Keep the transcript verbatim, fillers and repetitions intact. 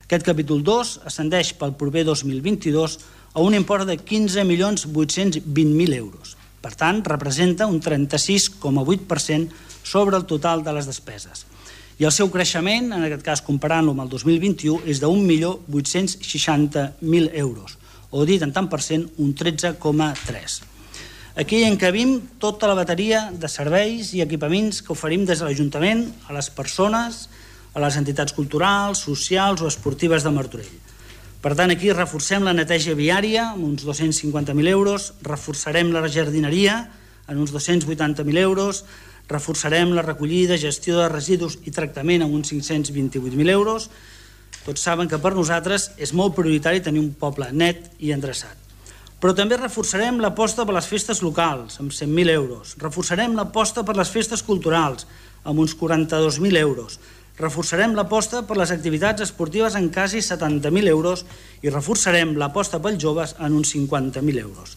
Aquest capítol dos ascendeix pel proper dos mil vint-i-dos a un import de quinze milions vuit-cents vint mil euros. Per tant, representa un trenta-sis coma vuit per cent sobre el total de les despeses. I el seu creixement, en aquest cas comparant-lo amb el dos mil vint-i-u, és d'un milió vuit-cents seixanta mil euros, o dit en tant per cent, un tretze coma tres. Aquí encabim tota la bateria de serveis i equipaments que oferim des de l'Ajuntament a les persones, a les entitats culturals, socials o esportives de Martorell. Per tant, aquí reforcem la neteja viària amb uns dos-cents cinquanta mil euros, reforçarem la jardineria en uns dos-cents vuitanta mil euros, reforçarem la recollida, gestió de residus i tractament amb uns cinc-cents vint-i-vuit mil euros. Tots saben que per nosaltres és molt prioritari tenir un poble net i endreçat. Però també reforçarem l'aposta per les festes locals, amb cent mil euros. Reforçarem l'aposta per les festes culturals, amb uns quaranta-dos mil euros. Reforçarem l'aposta per les activitats esportives en quasi setanta mil euros i reforçarem l'aposta pels joves en uns cinquanta mil euros.